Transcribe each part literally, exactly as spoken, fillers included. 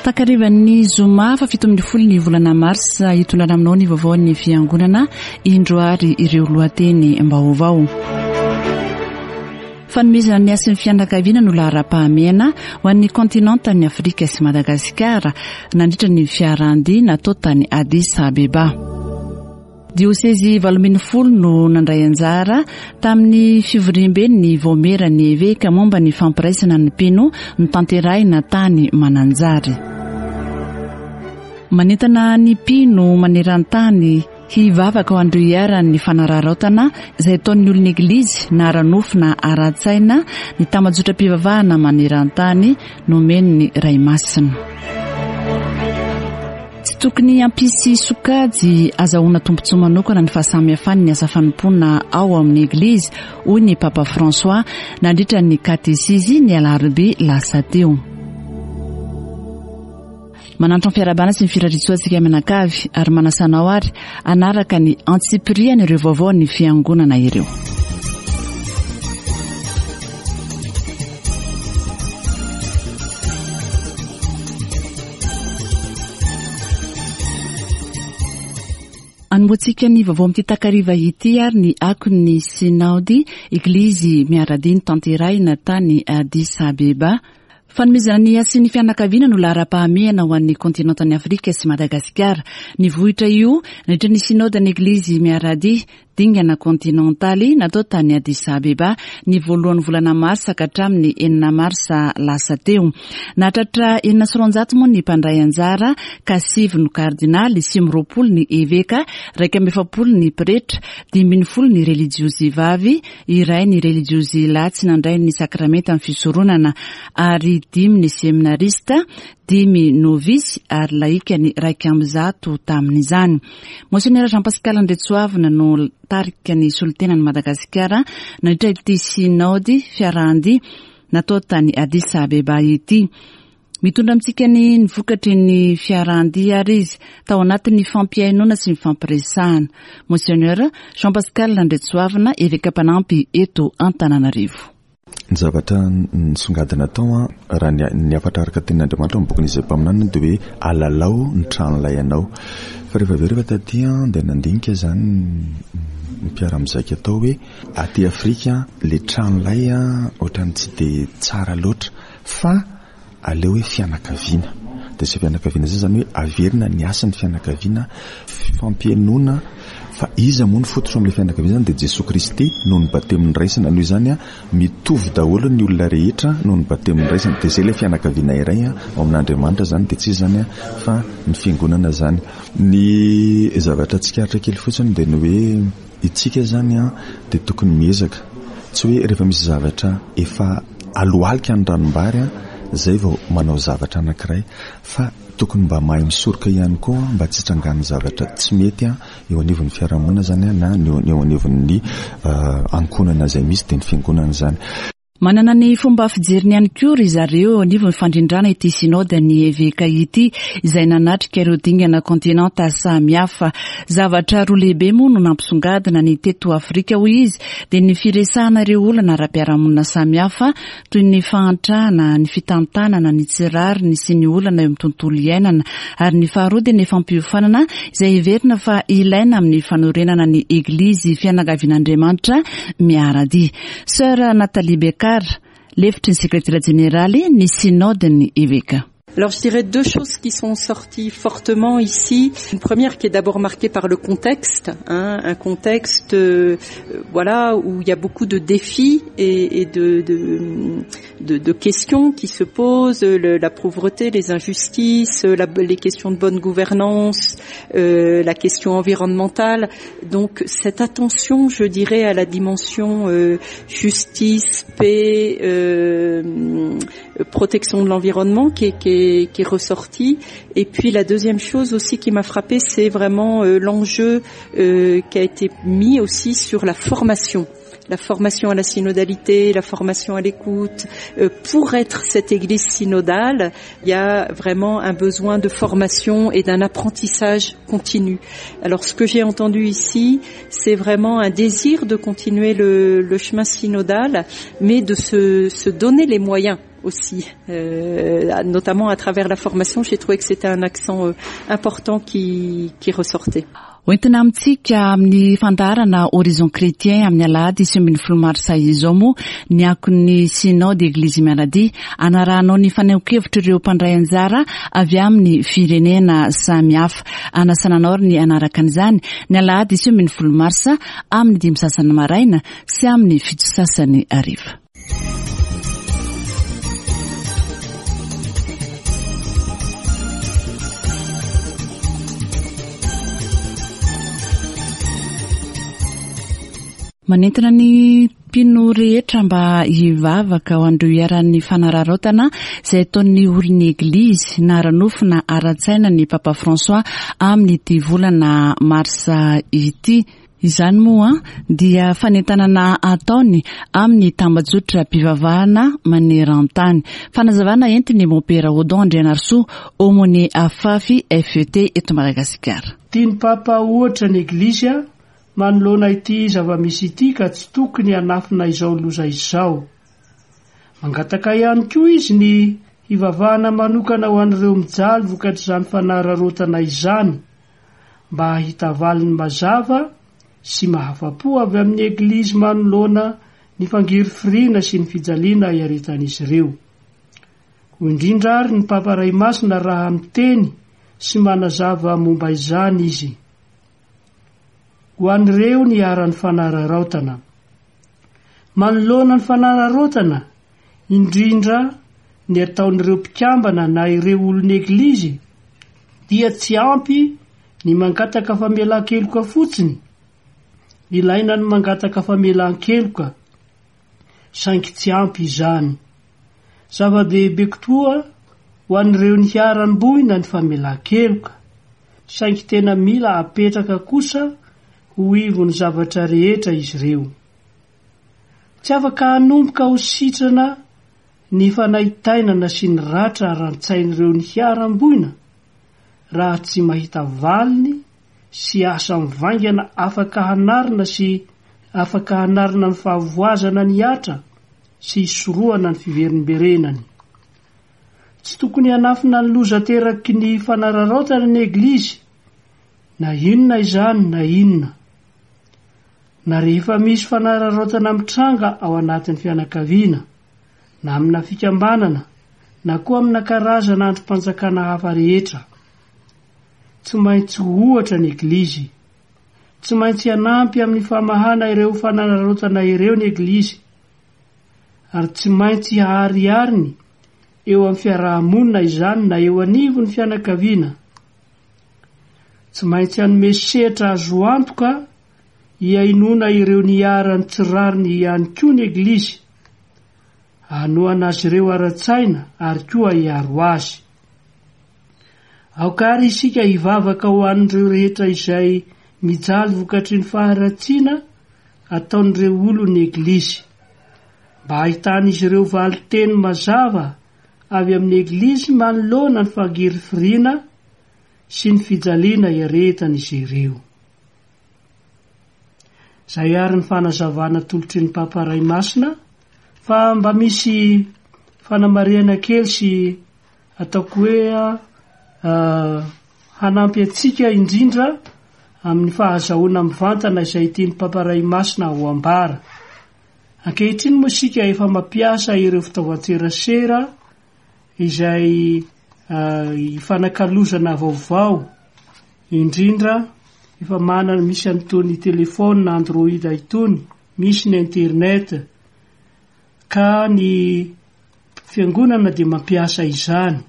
Takarivan'ny zoma fa fito ambin'ny folo ny volana marsa, hitondrana aminao ny vaovaon'ny fiangonana. Indro ary ireo lohateny vaovao. Fanomezana ny hasin'ny fianakaviana no laharam-pahamehana ho an'ny kontinentan'ny Afrika sy Madagasikara nandritra ny fiarahan-dia natao tany Addis Abeba. Diosezy valo ambin'ny folo no nandray anjara tamin'ny fivoriamben'ny vaomieran'ny eveka momba ny fampiraisana ny mpino notanterahina tany Mananjary. Manentana ny mpino maneran-tany hivavaka ho an'ireo iharan'ny fanararaotana izay ataon'ny olon'ny eglizy na ara-nofo na ara-tsaina ny tambajotram-pivavahana maneran-tany nomen'ny Ray Masina. Tsy tokony hampisy sokajy azahoana tombontsoa manokana ny fahasamihafany ny asa fanompoana ao amin'ny eglizy, hoy ny Papa François nandritra ny katesizy ny alarobia lasa teo. Manantitra ny fiarahabana sy ny firariantsoa antsika mianakavy ary manasa anao ary hanaraka ny antsipiriany ireo vaovao ny fiangonana ireo. Anombohantsika ny vaovao amin'ity takariva ity ary ny akon'ny Sinaody Eglizy miara-dia notanterahina tany Addis Abeba. Fanomezana ny hasin'ny fianakaviana no laharam-pahamehana ho an'ny kontinentan'i Afrika sy Madagasikara. Nivohitra io nandritra ny Sinaodan'ny Eglizy miara-dia dingana kontinentaly natao tany Addis Abeba ny voalohan'ny volana marsa ka hatramin'ny enina marsa lasa teo. Nahatratra enina sy roanjato moa ny mpandray anjara ka sivy no kardinaly, sivy amby roapolo ny eveka, iraika amby efapolo ny pretra, dimy ambin'ny folo ny relijiozy vavy, iray ny relijiozy lahy tsy nandray ny sakramentan'ny fisoronana ary dimy ny seminarista, dimy novisy ary laika ny iraika amby zato tamin'izany. Monseigneur Jean Pascal Andriatsoavina no tarika ny solontenan'i Madagasikara nandritra ity sinaody fiarahan-dia natao tany Addis Abeba ity. Mitondra amintsika ny vokatry ny fiarahan-dia ary izy tao anatin'ny fampihainoana sy ny fampiresahana. Monseigneur Jean Pascal Andriatsoavina, eveka mpanampy eto Antananarivo. Ny zavatra nisongadina tao, raha ny hafatra araka tenin'Andriamanitra amin'ny bokin'Izaia mpaminany dia hoe alalao ny tranolay anao. Fa rehefa avy eo rehefa taty dia nandinika izany ny mpiara-mizaika atao hoe aty Afrika le tranolay ohatran'ny tsy dia tsara loatra fa aleo hoe fianakaviana. Dia izay fianakaviana izay izany hoe averina ny hasin'ny fianakaviana, fampihainoana fa iza moa ny fototra amin'ilay fianakaviana izany dia Jesoa Kristy noho ny batemy noraisina. Noho izany mitovy daholo ny olona rehetra noho ny batemy noraisina. Dia izay ilay fianakaviana iray ao amin'Andriamanitra izany dia tsy iza izany fa ny fiangonana izany. Ny zavatra tsikaritra kely fotsiny dia ny hoe itsika izany dia tokony miezaka. Tsy hoe rehefa misy zavatra efa alohalika ny ranombary izay vao manao zavatra anankiray fa tokony mba mahay misoroka ihany koa mba tsy hitrangan'ny zavatra tsy mety eo anivon'ny fiarahamonina izany na eo anivon'ny ankohonana izay misy dia ny fiangonana izany. Manana ny fomba fijeriny ihany koa ry zareo eo anivon'ny fandrindrana ity sinaodan'ny eveka ity izay nanatrika ireo dingana kontinenta samihafa. Zavatra roa lehibe moa no nampisongadina ny teto Afrika hoy izy dia ny firesahana ireo olana ara-piarahamonina samihafa toy ny fahantrana, ny fitantanana, ny tsy rariny sy ny olana eo amin'ny tontolo iainana ary ny faharoa dia ny fampiofanana izay heverina fa ilaina amin'ny fanorenana ny eglizy fianakavian'Andriamanitra miara-dia. Sœur Nathalie Becker, lefitry ny sekretera jeneraly ny sinaodin'ny eveka. Alors je dirais deux choses qui sont sorties fortement ici. Une première qui est d'abord marquée par le contexte, hein, un contexte euh, voilà où il y a beaucoup de défis et, et de, de, de, de questions qui se posent, le, la pauvreté, les injustices, la, les questions de bonne gouvernance, euh, la question environnementale. Donc cette attention, je dirais, à la dimension euh, justice, paix, euh, protection de l'environnement qui est, qui est, qui est ressortie. Et puis la deuxième chose aussi qui m'a frappée, c'est vraiment euh, l'enjeu euh, qui a été mis aussi sur la formation. La formation à la synodalité, la formation à l'écoute. Euh, pour être cette église synodale, il y a vraiment un besoin de formation et d'un apprentissage continu. Alors ce que j'ai entendu ici, c'est vraiment un désir de continuer le, le chemin synodal, mais de se, se donner les moyens aussi, euh, notamment à travers la formation. J'ai trouvé que c'était un accent euh, important qui, qui ressortait. Hoentina amintsika amin'ny fandaharana Horizon Chrétien amin'ny alahady sivy ambin'ny folo marsa izao moa ny akon'ny Synode Eglizy Miara-Dia, anarahanao ny fanehoan-kevitra ireo mpandray anjara avy amin'ny firenena samihafa. Anasana anao ny hanaraka an'izany ny alahady sivy ambin'ny folo marsa amin'ny dimy sasany maraina sy amin'ny fito sasany hariva. Manentana ny mpino rehetra mba hivavaka ho an'ireo iharan'ny fanararaotana izay ataon'ny olon'ny Eglizy na ara-nofo na ara-tsaina ny Papa François amin'ity volana marsa ity. Izany moa dia fanentanana ataony amin'ny tambajotram-pivavahana maneran-tany. Fanazavana entiny Mompera Odon Andrianarisoa, aumônier AFAFI F E T eto Madagasikara. Tian'ny Papa ohatra ny Eglizy manoloana ity zava-misy ity ka tsy tokony hanafina izao loza izao. Mangataka ihany koa izy ny hivavahana manokana ho an'ireo mijaly vokatr'izany fanararaotana izany mba hahita valiny mazava sy mahafa-po avy amin'ny Eglizy manoloana ny fangirifiriana sy ny fijaliana iaretan'izy ireo. Hoy indrindra ary ny Papa Ray Masina raha miteny sy manazava momba izany izy. Ho an'ireo niharan'ny fanararaotana. Manoloana ny fanararaotana, indrindra ny ataon'ireo mpikambana na ireo olon'ny Eglizy, dia tsy ampy ny mangataka famelan-keloka fotsiny. Ilaina ny mangataka famelan-keloka, saingy tsy ampy izany. Zava-dehibe koa ho an'ireo niharam-boina ny famelan-keloka, saingy tena mila apetraka kosa ho ivon'ny zavatra rehetra izy ireo. Tsy afaka hanomboka ho sitrana ny fanaintainana sy ny ratra ara-tsain'ireo niharam-boina raha tsy mahita valiny sy asa mivaingana afaka hanarina sy afaka hanarina ny fahavoazana nihatra sy hisorohana ny fiverimberenany. Tsy tokony hanafina ny loza ateraky ny fanararaotana ny Eglizy, na inona izany na inona. Na rehefa misy fanararaotana mitranga ao anatin'ny fianakaviana, na amina fikambanana, na koa amina karazana andrim-panjakana hafa rehetra. Tsy maintsy ohatra ny Eglizy. Tsy maintsy hanampy amin'ny famahana ireo fanararaotana ireo ny Eglizy. Ary tsy maintsy haharihariny eo amin'ny fiarahamonina izany na eo anivon'ny fianakaviana. Tsy maintsy hanome sehatra azo antoka hihainoana ireo niharan'ny tsy rariny ihany koa ny Eglizy. Hanohana azy ireo ara-tsaina ary koa hiaro azy. Aoka ary isika hivavaka ho an'ireo rehetra izay mijaly vokatry ny faharatsiana ataon'ireo olon'ny Eglizy, mba hahitan'izy ireo valin-teny mazava avy amin'ny Eglizy manoloana ny fangirifiriana sy ny fijaliana iaretan'izy ireo. Izay ary ny fanazavana atolotry ny Papa Ray Masina, fa mba misy fanamarihana kely sy ataoko hoe hanampy antsika indrindra amin'ny fahazahoana mivantana izay tian'ny Papa Ray Masina ho ambara. Ankehitriny moa isika efa mampiasa ireo fitaovan-tserasera izay ifanakalozana vaovao, indrindra efa manana misy an'itony telefôna Android itony, misy ny internet, ka ny fiangonana dia mampiasa izany.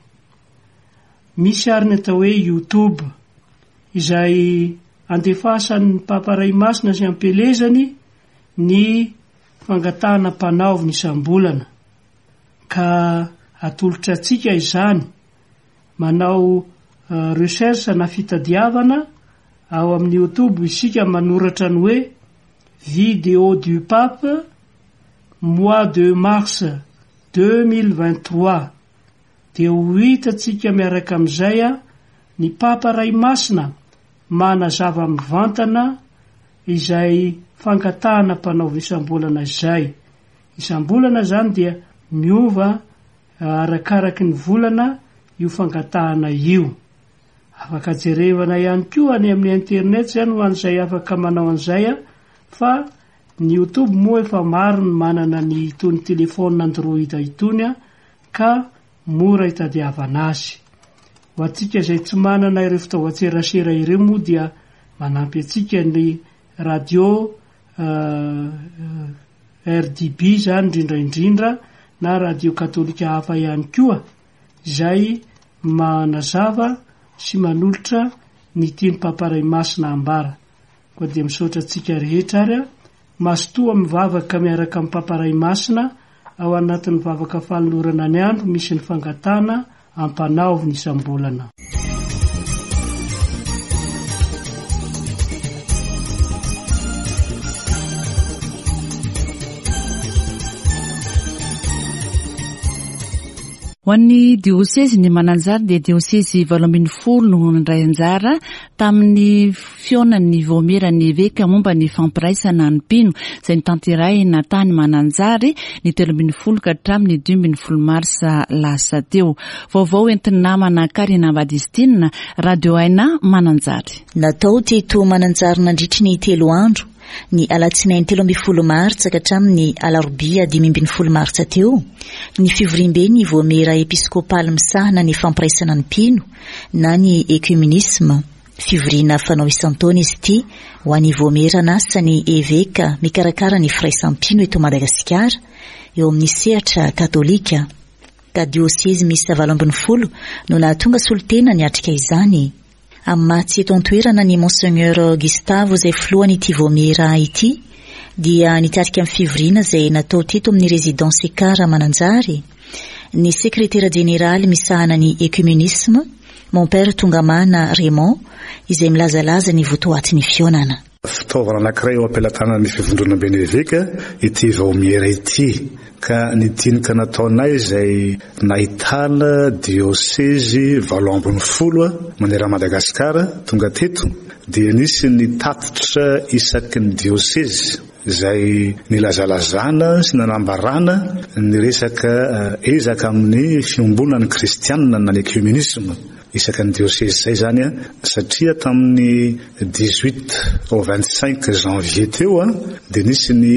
Misy ary ny atao hoe YouTube izay andefasan'ny Papa Ray Masina sy ampielezany ny fangatahana mpanaoviny isam-bolana, ka atolotra antsika izany. Manao recherche na fitadiavana ao amin'ny YouTube isika, manoratra ny hoe "vidéo du pape mois de mars deux mille vingt-trois", dia ho hitantsika miaraka amin'izay a ny Papa Ray Masina manazava mivantana izay fangatahana mpanaovy isam-bolana izay. Isam-bolana zany dia miova Arakaraky ny volana io fangatahana io. Afaka jerevana ihany koa any amin'ny internet zany ho an'izay afaka manao an'izay a, fa ny YouTube moa efa maro ny manana ny itony telefona Android itony a, ka mora hitadiavana azy. Ho antsika izay tsy manana ireo fitaovan-tserasera ireo moa dia manampy antsika ny radio R D B zany indrindra indrindra na radio katolika hafa ihany koa izay manazava sy manolotra ny tian'ny Papa Ray Masina ambara. Koa dia misaotra antsika rehetra ary a, mazotoa mivavaka miaraka amin'ny Papa Ray Masina ao anatin'ny vavaka fanolorana ny andro misy ny fangatahana ampanaoviny isam-bolana. Ho an'ny diosezy ny Mananjary dia diosezy valo ambin'ny folo no nandray anjara tamin'ny fihaonan'ny vaomieran'ny eveka momba ny fampiraisana ny mpino izay notanterahina tany Mananjary ny telo ambin'ny folo ka hatramin'ny dimy ambin'ny folo marsa lasa teo. Vaovao entin'ny namana Karina Badistina, Radio Aina Mananjary. Natao teto Mananjary nandritry ny telo andro ny alatsinainy telo ambin'ny folo martsa ka hatramin'ny alarobia dimy ambin'ny folo martsa teo ny fivoriambe ny vaomiera episkopaly misahana ny fampiraisana ny mpino na ny ekumenisma. Fivoriana fanao isan-taona izy ity ho an'ny vaomiera nasa ny eveka mikarakara ny firaisam-pino eto Madagasikara eo amin'ny sehatra katolika. Ka diosezy miisa valo ambin'ny folo no nahatonga solontena niatrika izany. Amin'ny maha tsy eto an-toerana ny Monseigneur Gustavo izay filohan'ity vaomiera ity dia nitarika amin'ny fivoriana izay natao teto amin'ny résidence Ekara Mananjary ny sekretera jeneraly misahana ny ekumenisme Mon Père Tongamana Raymond izay milazalaza ny votoatin'ny fihaonana. Fitaovana anankiray eo am-pelatanan'ny fivondronamben'ny eveka ity vaomiera ity ka ny dinika nataonay izay nahitana diosezy valo ambin'ny folo manerana Madagasikara tonga teto dia nisy ny tatitra isaky ny diosezy izay nilazalazana sy nanambarana ny resaka ezaka amin'ny fiombonan'ny kristianina na ny ekumenisme isaka ny diosezy izay zany a, satria tamin'ny dix-huit au vingt-cinq janvier teo a, dia nisy ny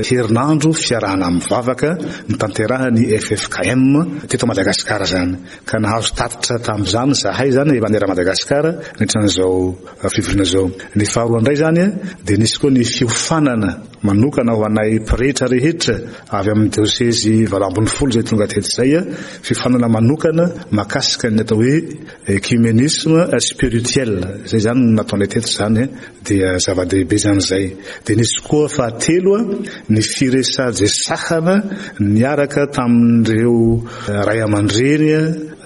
herinandro fiarahana mivavaka notanterahan'ny F F K M teto Madagasikara zany ka nahazo tatitra tamin'izany zahay zany manerana Madagasikara nandritran'izao fivoriana izao. Ny faharoa indray zany a, dia nisy koa ny fiofanana manokana ho anay pretra rehetra avy amin'ny diosezy valo ambin'ny folo izay tonga teto izay a, fiofanana manokana mahakasika ny atao hoe ekumenisme spirituel izay zany no nataonay teto zany dia zava-dehibe zany izay. Dia nisy koa fahatelo a, ny firesadresahana niaraka tamin'ireo ray aman-dreny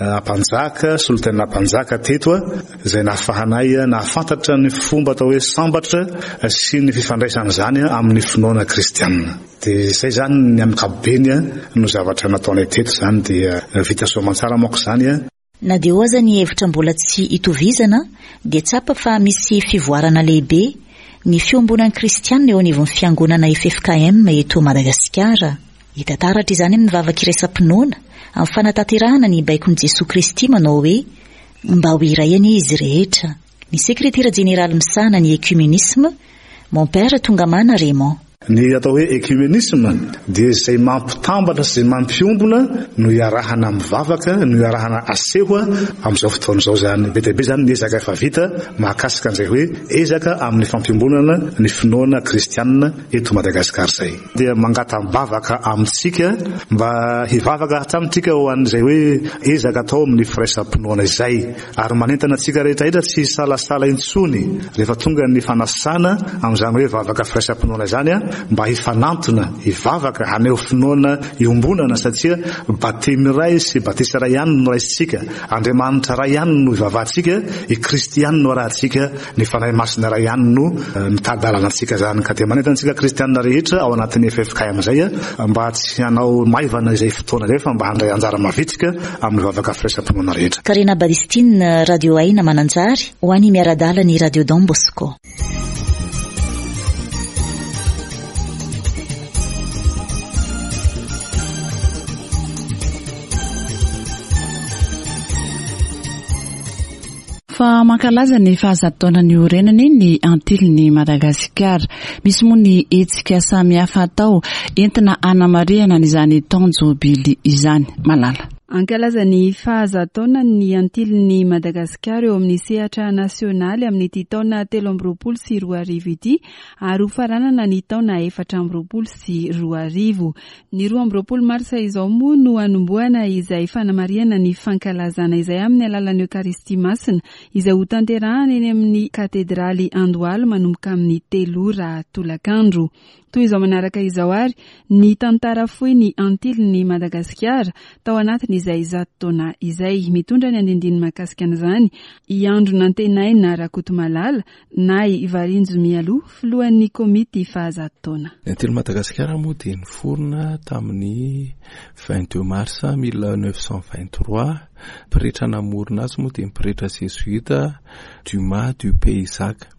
ampanjaka, solontena ampanjaka teto a, izay nahafahanay nahafantatra ny fomba atao hoe sambatra sy ny fifandraisan'izany amin'ny finoana kristianina. Dia izay zany ny amin'ny ankapobeny no zavatra nataonay teto zany dia vita soamantsara manko izany a. Na dia eo aza ny hevitra mbola tsy itovizana dia tsapa fa misy fivoarana lehibe ny fiombonan'ny kristianina eo anivon'ny fiangonana F F K M eto Madagasikara. Hita taratra izany amin'ny vavaka iraisam-pinoana amin'ny fanatanterahana ny baikon'i Jesoa Kristy manao hoe mba ho iray anie izy rehetra. Ny sekretera jeneraly misahana ny ekumenisme, Mon Père Tongamana Raymond. Ny atao hoe ekumenisme dia izay mampitambatra sy izay mampiombona no iarahana mivavaka, no iarahana aseho amin'izao fotoana izao zany. Be dia be zany ny ezaka efa vita mahakasika an'izay hoe ezaka amin'ny fampiombonana ny finoana kristianina eto Madagasikara izay. Dia mangatam-bavaka amintsika mba hivavaka hatramintsika ho an'izay hoe ezaka atao amin'ny firaisam-pinoana izay. Ary manentana antsika rehetra rehetra tsy hisalasala intsony rehefa tonga ny fanasana amin'izany hoe vavaka firaisam-pinoana izany a, mba hifanantona, hivavaka, haneho finoana iombonana satria batemy iray sy batisa iray ihany no raisintsika, Andriamanitra iray ihany no ivavahantsika, i Kristy ihany no arahantsika, ny Fanahy Masina iray ihany no mitady-dalana antsika zany. Ka dia manentana antsika kristianina rehetra ao anatin'ny F F K M izay a, mba tsy hanao maivana izay fotoana izay fa mba handray anjara mavitrika amin'ny vavaka firaisam-pinoana rehetra. Karina Badistine, Radio Aina Mananjary, ho an'ny miara-dalana ny Radio Don Bosco. Fa mankalaza ny fahazato taona niorenany ny Antilin'i Madagasikara. Misy moa ny hetsika samihafa atao entina hanamarihana an'izany taon-jobily izany. Malala. Ankalaza ny fahazato taona ny Antilin'i Madagasikara eo amin'ny sehatra nasionaly amin'ity taona telo amby roapolo sy roa arivo ity ary ho faranana ny taona efatra amby roapolo sy roa arivo. Ny roa amby roapolo marsa izao moa no hanombohana izay fanamarihana ny fankalazana izay amin'ny alalan'ny Eokaristia Masina izay ho tanterahana eny amin'ny katedraly Andohalo manomboka amin'ny telo ora tolakandro. Toy izao manaraka izao ary ny tantara fohy ny Antilin'i Madagasikara tao anatin'izay zato taona izay. Mitondra ny andindiny mahakasika an'izany i Andro Nantenaina Rakotomalala na i Varinjo Mialoha, filohan'ny komity fahazato taona. Ny Antilin'i Madagasikara moa dia niforona tamin'ny vingt-deux mars mille neuf cent vingt-trois. Pretra namorona azy moa dia ny pretra jesuita Dumas du Paysac.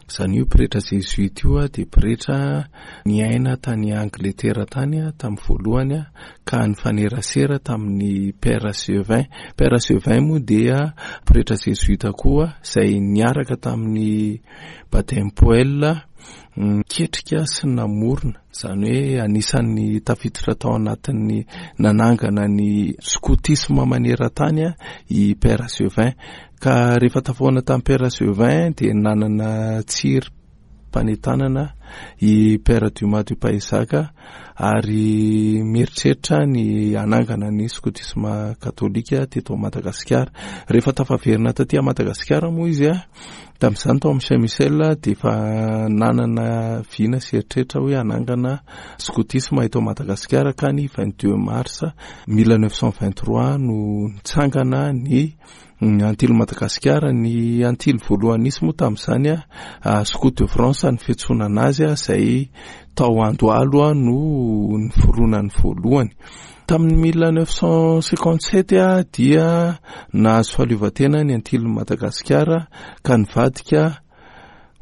Izany io pretra jesuita io dia pretra niaina tany Angletera tany tamin'ny voalohany ka nifanerasera tamin'ny Père Sevin. Père Sevin moa dia pretra jesuita koa izay niaraka tamin'ny Baden-Powell niketrika sy namorona. Izany hoe anisan'ny tafiditra tao anatin'ny nanangana ny skotisma maneran-tany i Père Sevin. Ka rehefa tafahoana tamin'ny Père Sevin dia nanana tsiry mpanentanana i Père Dumas du Paysac ary mieritreritra ny hanangana ny skotisma katolika teto Madagasikara. Rehefa tafaverina taty Madagasikara moa izy a, tamin'izany tao amin'ny Saint Michel dia efa nanana vina sy eritreritra hoe hanangana skotisma eto Madagasikara ka ny vingt-deux mars mille neuf cent vingt-trois no nitsangana ny Antilin'i Madagasikara. Ny Antily voalohany nisy moa tamin'izany a, Scout de France ny fiantsonana azy a, izay tao Andohalo a no niforonany voalohany. Tamin'ny mille neuf cent cinquante-sept a dia nahazo fahaleovantena ny Antilin'i Madagasikara ka nivadika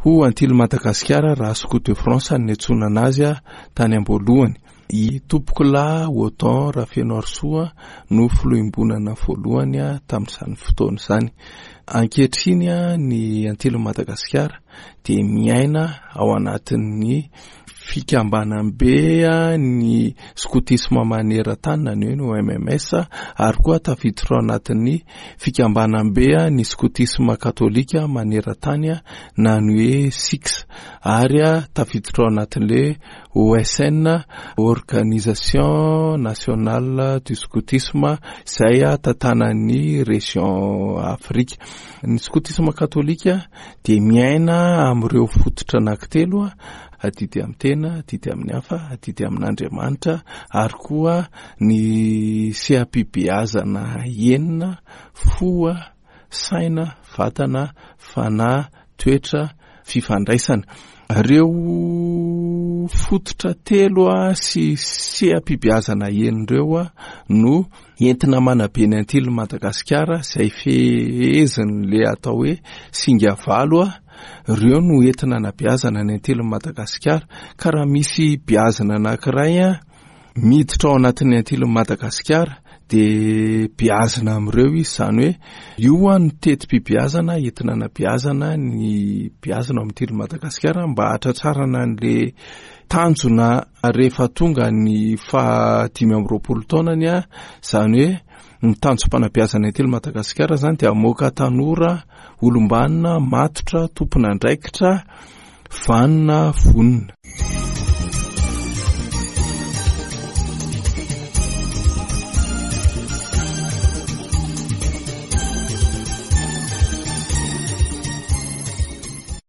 ho Antilin'i Madagasikara raha Scout de France ny niantsonana azy a tany am-boalohany. I Tompokolahy Odon Rafenoarisoa no filoham-bonana voalohany a tamin'izany fotoana izany. Ankehitriny a ny Antilin'i Madagasikara dia miaina ao anatin'ny fikambanam-be a ny skotisma maneran-tany na ny hoe ny O M M S ary koa tafiditra ao anatin'ny fikambanam-be a ny skotisma katolika maneran-tany a na ny hoe S I C ary a tafiditra ao anatin'ilay O S N, Organisation Nationale du Scoutisme, izay a tantanan'ny région Afrika. Ny skotisma katolika dia miaina amin'ireo fototra anankitelo a, adidy amin'ny tena, adidy amin'ny hafa, adidy amin'Andriamanitra ary koa ny seha-pibeazana enina, fo, saina, vatana, fanahy, toetra, fifandraisana. Ireo fototra telo a sy seha-pibeazana enina ireo a no entina manabe ny Antilin'i Madagasikara izay fehezin'ilay atao hoe singa valo a. Ireo no entina anabeazana ny Antilin'i Madagasikara. Ka raha misy beazina anankiray a miditra ao anatin'ny Antilin'i Madagasikara dia beazina amin'ireo izy, izany hoe io a no teti-pibeazana entina anabeazana ny beazina ao amin'ny Antilin'i Madagasikara mba hahatratrarana an'ilay tanjona rehefa tonga ny fahadimy amby roapolo taonany a, izany hoe ny tanjom-panabeazana Antilin'i Madagasikara izany dia hamoaka tanora olom-banona, matotra, tompon'andraikitra, vanona, vonona.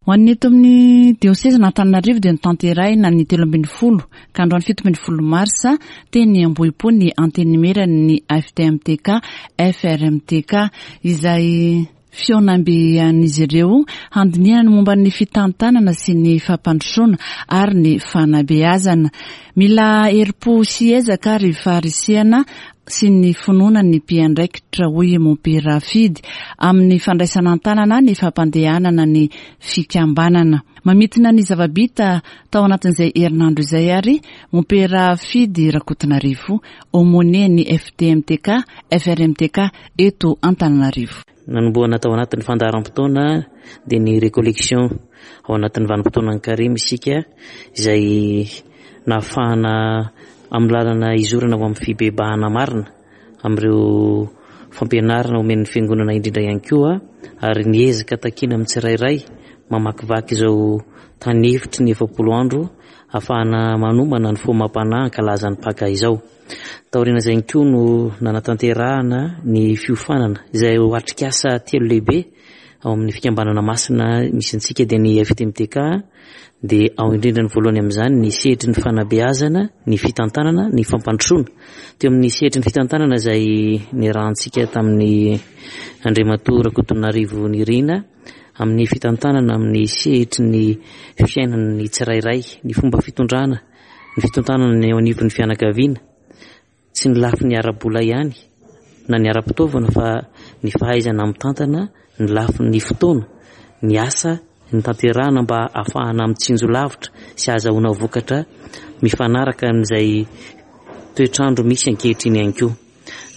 Ho an'ny eto amin'ny diosezina Antananarivo dia notanterahina ny telo ambin'ny folo ka androany fito ambin'ny folo marsa teny Ambohipo ny antenimieran'ny F T M T K F R M T K izay fihaonambe an'izy ireo handinihana ny momba ny fitantanana sy ny fampandrosoana ary ny fanabeazana. Mila herim-po sy ezaka ary faharisihana sy ny finoana ny mpiandraikitra, hoy Mompera Fidy, amin'ny fandraisana an-tanana ny fampandehanana ny fikambanana. Mamintina ny zava-bita tao anatin'izay herinandro izay ary Mompera Fidy Rakotonarivo, aumônier ny F T M T K, F R M T K eto Antananarivo. Nanombohana tao anatin'ny fandaharam-potoana dia ny recollection ao anatin'ny vanim-potoanan'ny karemy isika, izay nahafahana amin'ny lalana izorana ho amin'ny fibebahana marina amin'ireo fampianarana omen'ny fiangonana indrindra ihany koa, ary ny ezaka takiana amin'ny tsirairay mamakivaky izao tany efitry ny efapolo andro ahafahana manomana ny fo amam-panahy ankalaza ny Paka izao. Taoriana izay ihany koa no nanatanterahana ny fiofanana izay ho atrikasa telo lehibe ao amin'ny fikambanana masina misy antsika, dia ny F T M T K, dia ao indrindra ny voalohany amin'izany ny sehatry ny fanabeazana, ny fitantanana, ny fampandrosoana. Teo amin'ny sehatry ny fitantanana izay niarahantsika tamin'ny Andriamatoa Rakotonarivo Nirina amin'ny fitantanana amin'ny sehatry ny fiainan'ny tsirairay, ny fomba fitondrana, ny fitantanana ny eo anivon'ny fianakaviana, tsy ny lafiny ara-bola ihany na ny ara-pitaovana fa ny fahaizana mitantana, ny lafiny fotoana, ny asa ny tanterahana mba ahafahana mitsinjo lavitra sy ahazahoana vokatra mifanaraka amin'izay toetrandro misy ankehitriny ihany koa.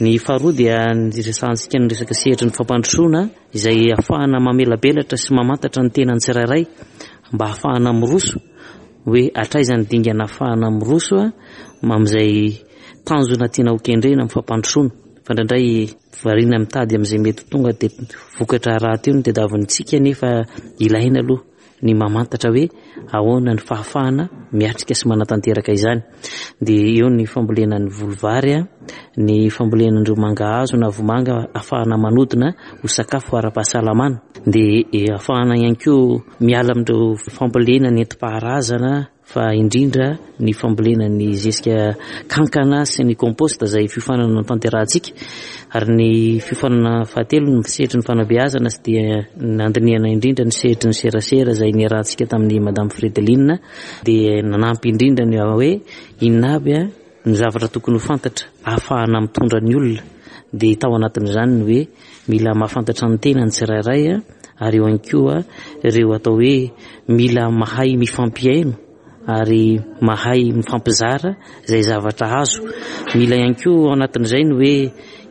Ny faharoa dia niresahantsika ny resaka sehatry ny fampandrosoana izay ahafahana mamelabelatra sy mamantatra ny tenan'ny tsirairay mba ahafahana miroso, hoe hatraiza ny dingana ahafahana miroso amin'izay tanjona tiana ho kendrena amin'ny fampandrosoana. Fa indraindray variana mitady amin'izay mety tonga dia vokatra rahateo no tadiavintsika, nefa ilaina aloha ny mamantatra hoe ahoana ny fahafahana miatrika sy manatanteraka izany. Dia eo ny fambolena ny voly vary, ny fambolena ireo mangahazo na vomanga ahafahana manodina ho sakafo ara-pahasalamana, dia ahafahana ihany koa miala amin'ireo fambolena nentim-paharazana, fa indrindra ny fambolena ny zezika kankana sy ny compost izay fiofanana notanterahantsika. Ary ny fiofanana fahatelo ny sehatry ny fanabeazana sy dia nandinihana indrindra ny sehatry ny serasera izay niarahantsika tamin'ny Madame Fredeline, dia nanampy indrindra ny hoe inona aby ny zavatra tokony ho fantatra ahafahana mitondra ny olona. Dia tao anatin'izany ny hoe mila mahafantatra ny tena ny tsirairay, ary eo ihany koa ireo atao hoe mila mahay mifampihaino ary mahay mifampizara izay zavatra azo. Mila ihany koa ao anatin'izay ny hoe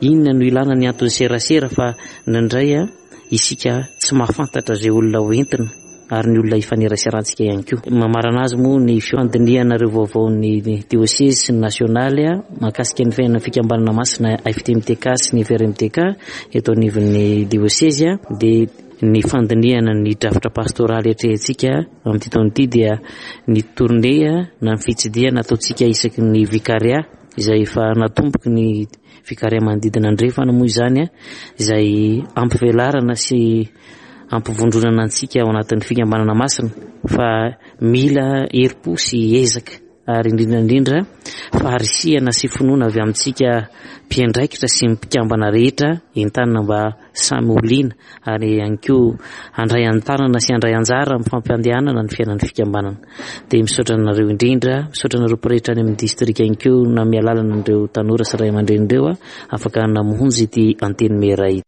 inona no ilana ny anton'ny serasera, fa indraindray isika tsy mahafantatra izay olona hoentina ary ny olona ifaneraserantsika ihany koa. Mamarana azy moa ny fandinihana ireo vaovaon'ny diosezy sy ny nasionaly mahakasika ny fiainan'ny fikambanana masina F T M T K sy ny F R M T K eto anivon'ny diosezy, dia ny fandinihana ny drafitra pastoraly atrehintsika amin'ity taona ity, dia ny tournée na ny fitsidihana ataontsika isaky ny vikaria izay efa natomboky ny vikaria manodidina andrefana moa izany, izay ampivelarana sy ampivondronana antsika ao anatin'ny fikambanana masina, fa mila herim-po sy ezaka ary indrindra indrindra faharisihana sy finoana avy amintsika mpiandraikitra sy mpikambana rehetra entanina mba samy ho liana ary ihany koa handray an-tanana sy handray anjara amin'ny fampandehanana ny fiainan'ny fikambanana. Dia misaotra anareo indrindra, misaotra anareo mpirehetra any amin'ny distrika ihany koa na mialalana an'ireo tanora sy ray aman-dreny ireo afaka namonjy ity antenimiera ity.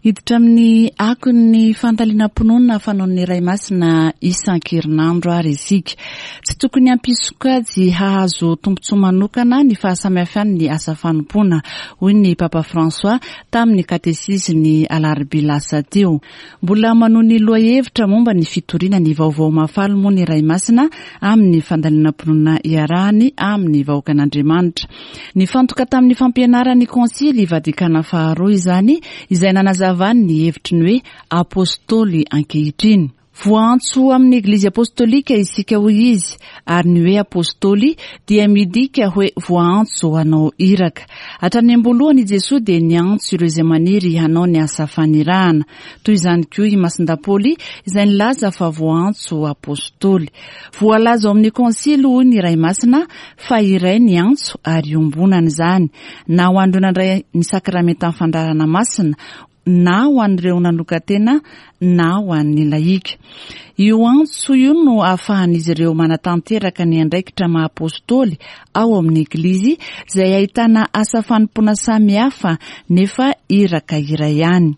Hiditra amin'ny akon'ny fandalinam-pinoana fanaon'ny Ray Masina isan-kerinandro ary isika. Tsy tokony hampisokajy hahazo tombontsoa manokana ny fahasamihafan'ny asa fanompoana, hoy ny Papa François tamin'ny katesizin'ny alarobia lasa teo. Mbola manohy ny lohahevitra momba ny fitoriana ny vaovao mahafaly moa ny Ray Masina amin'ny fandalinam-pinoana iarahany amin'ny vahoakan'Andriamanitra. Nifantoka tamin'ny fampianaran'ny Konsily Vatikana faharoa izany, izay nanazava ny hevitry ny hoe apôstôly ankehitriny. Voaantso amin'ny Eglizy apôstôlika isika, hoy izy, ary ny hoe apôstôly dia midika hoe voaantso hanao iraka. Hatrany am-boalohany i Jesoa dia niantso ireo izay maniry hanao ny asa fanirahana. Toy izany koa i Masindahy Paoly izay nilaza fa voaantso apôstôly. Voalaza ao amin'ny konsily, hoy ny Ray Masina, fa iray ny antso ary iombonana izany, na ho an'ireo nandray ny sakramentan'ny fandrarana masina, na ho an'ireo nanokan-tena, na ho an'ny lahika. Io antso io no ahafahan'izy ireo manatanteraka ny andraikitra maha apôstôly ao amin'ny Eglizy, izay ahitana asa fanompoana samihafa nefa iraka iray ihany.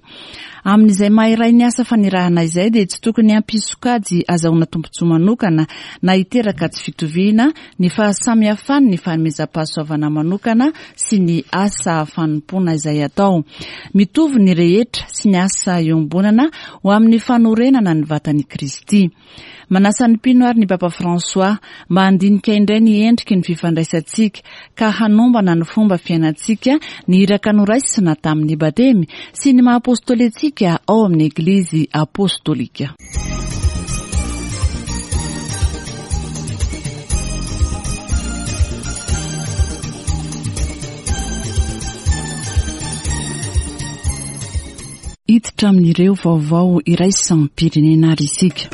Amin'izay maha iray ny asa fanirahana izay dia tsy tokony hampisokajy azahoana tombontsoa manokana na hiteraka tsy fitoviana ny fahasamihafany ny fanomezam-pahasoavana manokana sy ny asa fanompoana izay atao. Mitovy ny rehetra sy ny asa iombonana ho amin'ny fanorenana ny vatan'i Kristy. Manasa ny mpino ary ny Papa François mba handinika indray ny endriky ny fifandraisantsika ka hanombana ny fomba fiainantsika ny iraka noraisina tamin'ny batemy sy ny maha apôstôly antsika ao amin'ny Eglizy apôstôlika. Hiditra amin'ireo vaovao iraisam-pirenena ary isika.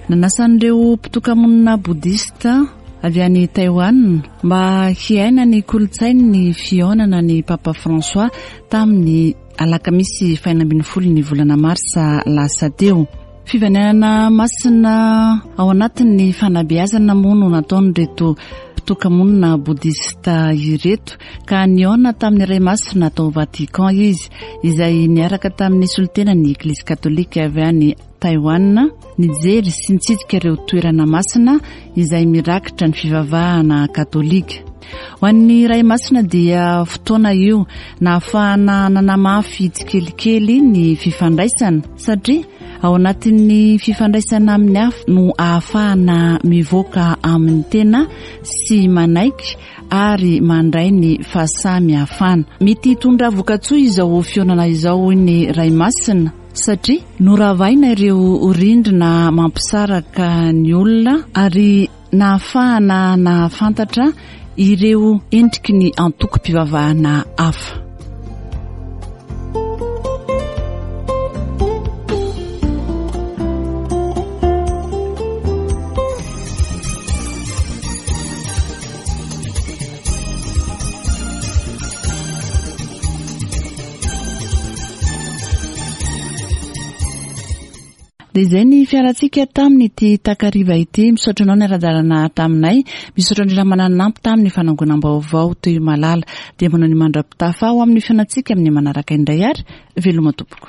Nanasan'ireo mpitokamonina bodista avy any Taiwan mba hiaina ny kolontsainy ny fihaonana ny Papa François tamin'ny alakamisy fahenina ambin'ny folo ny volana marsa lasa teo. Fivanenana masina ao anatin'ny fanabeazana moa no nataon'ireto mpitokamonina bodista ireto ka nihaona tamin'ny Ray Masina tao Vatican izy izay niaraka tamin'ny solontenan'ny Eglizy katolika avy any Taiwan nijery sy nitsidika ireo toerana masina izay mirakitra ny fivavahana katolika. Ho an'ny Ray Masina dia fotoana io nahafahana nanamafy tsikelikely ny fifandraisana satria ao anatin'ny fifandraisana amin'ny hafa no ahafahana mivoaka amin'ny tena sy manaiky ary mandray ny fahasamihafana. Mety hitondra vokatsoa izao fihaonana izao hoy ny Ray Masina satria noravaina ireo rindrina mampisaraka ny olona ary nahafahana nahafantatra ireo endriky ny antokom-pivavahana hafa. Dia izay ny fiarantsika tamin'ity takariva ity. Misaotra anao niara-dalana taminay. Misaotra indrindra mananampy tamin'ny fanangonam-baovao teo Malala. Dia manao ny mandra-pitafa ho amin'ny fiainantsika amin'ny manaraka indray ary veloma tompoko.